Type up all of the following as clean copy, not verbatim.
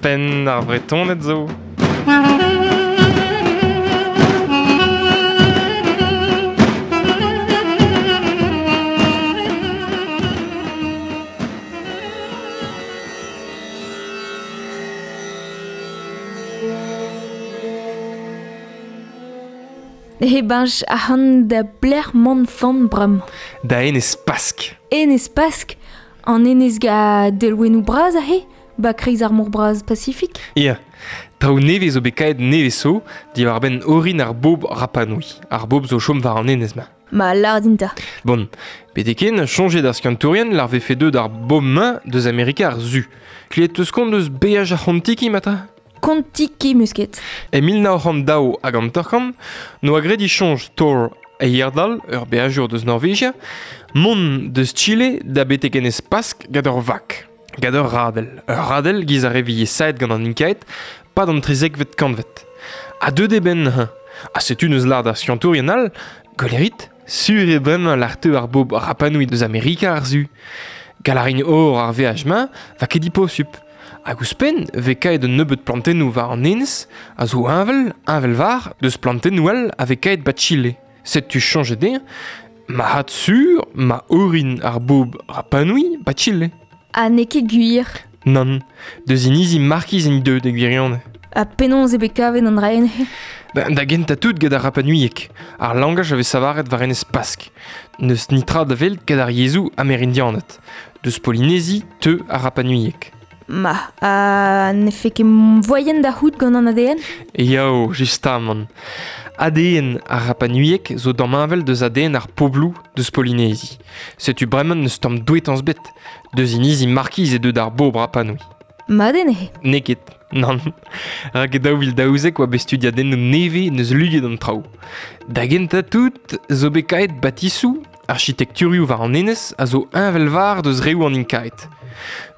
Penn ar Vretoned zo. He bench ac'han da blec'h mont fan bremañ. Da enez Pask. Enez Pask, an enez ga delwennoù bras aze, ba kreiz ar mor bras Pasifik. Ya, traoù nevez zo bet kaet nevez zo diwar-benn orin ar bobl Rapanui. Ar bobl zo chom war an enez-mañ. Ma lâr din 'ta. Bon, betek-hen, soñjet ar skiantourien lar vefe deuet ar bobl-mañ deus Amerika ar Su. Klevet 'teus kont eus beaj ar C'hontiki, mata? Kontiki 'meus ket. E 1952 n'oa graet e soñj Thor Heyerdahl, ur beajour deus Norvegia, mont deus Chile da betek enez Pask gant ur vag, gant ur radell. Ur radell giz ar re vije saet gant an Inkaed 'pad an trizekvet kantved. Ha deuet eo benn neuze. Ha setu neus lâret ar skiantourien all, gwelit, sur eo bremañ lâr teu ar bobl Rapanui deus Amerika ar Su. Gall a rin ober ar veaj-mañ va ket diposupl. Hag ouzhpenn 'vez kaet un nebeud plantennoù war an enez a zo heñvel, heñvel-war, deus plantennoù all a vez kaet 'ba Chile. Setu soñjet dezhañ marc'had sur ma orin ar bobl Rapanui 'ba Chile. Ha n'eo ket gwir. Nann, deus inizi Markiz int deuet e gwirionez. Ha penaos eo bet kavet an dra-se? Ben, da gentañ tout get ar rapanuieg, ar langaj a vez savaret war enez Pask. N'eus netra da welet get ar yezhoù amerindianed. Deus Polinezi teu ar rapanuieg. Ma, ha ne fait ket voaien da c'hoût gant an ADN? Yao, justamant. ADN ar rapanuieg zo damheñvel deus ADN ar pobloù deus Polinezi. Setu bremañ n'eus tamm douetañs bet. Deus inizi Markiz e deu d'ar bobl Rapanui. Mat eo neuze. N'eo ket, nann. Rak e 2012 oa bet studiadennoù nevez n'eus luget an traoù. Da gentañ tout zo bet kaet batisoù Arkitekturioù war an enez a zo heñvel-var deus reoù an Inkaed.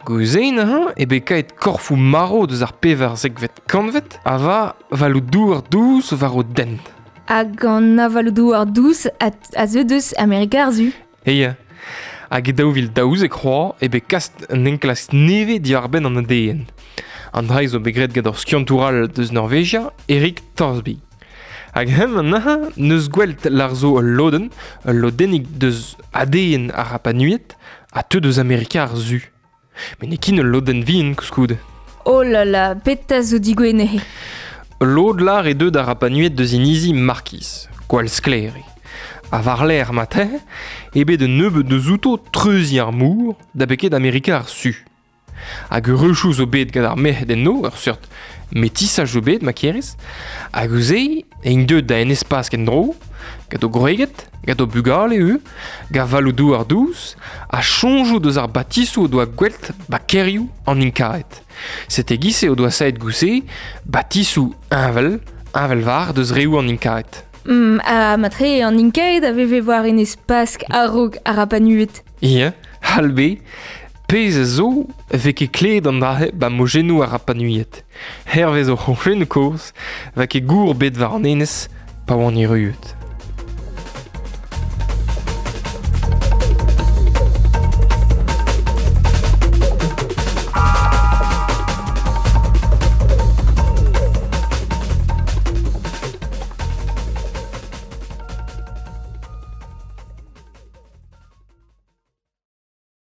Gouze neuze eo bet kaet korfoù marv deus ar pevarzekvet kantved a va avaloù-douar dous war o dent. Hag an avaloù-douar dous a, a zeu deus Amerika ar Su. Ya. Hag e 2012 c'hoazh eo bet kaset un enklask nevez diwar-benn an ADN. An dra zo bet graet gant ur skiantour all deus Norvegia, Erik Thorsby. Hag hemañ neuze 'neus gwel't lar zo ul lodenn, ul lodennig deus ADN ar Rapanuied ha teu deus Amerika ar Su. Met n'eo ket ul lodenn vihan koulskoude. Oh là là, petra zo digouezhet neuze? Lod lar eo deuet ar Rapanuied deus inizi Markiz, gwall sklaer eo. Ha war-lerc'h matin eo bet un nebeud deus outo treuziñ ar mor da beket Amerika ar Su. Hag eureujoù zo bet gant ar merc'hed enno, ur seurt metisaj zo bet ma kerez. Hag ouzh-se int deuet da Enez Pask en-dro, gant o gwreged, gant o bugale ivez, gant avaloù-douar dous, ha soñjoù deus ar batisoù o doa gwel't ba kêrioù an Inkaed. Sete e-giz-se o doa savet goude batisoù heñvel, heñvel-var deus reoù an Inkaed. Ha matre an Inkaed a veve war Enez Pask a-raok ar Rapanued. Ya, c'hall bet. Pezh a zo e vez ket klevet an dra-se 'ba mojennoù ar Rapanuied. Hervez o c'hoñchennoù kozh 'va ket gour bet war an enez pa oant erruet.